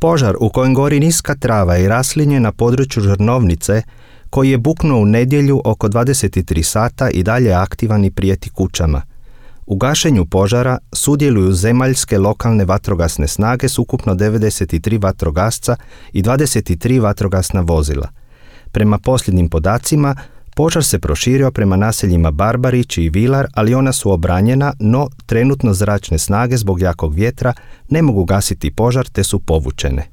Požar u kojem gori niska trava i raslinje na području Žrnovnice, koji je buknuo u nedjelju oko 23 sata i dalje aktivan i prijeti kućama. U gašenju požara sudjeluju zemaljske lokalne vatrogasne snage s ukupno 93 vatrogasca i 23 vatrogasna vozila. Prema posljednjim podacima, požar se proširio prema naseljima Barbarić i Vilar, ali ona su obranjena, no trenutno zračne snage zbog jakog vjetra ne mogu gasiti požar te su povučene.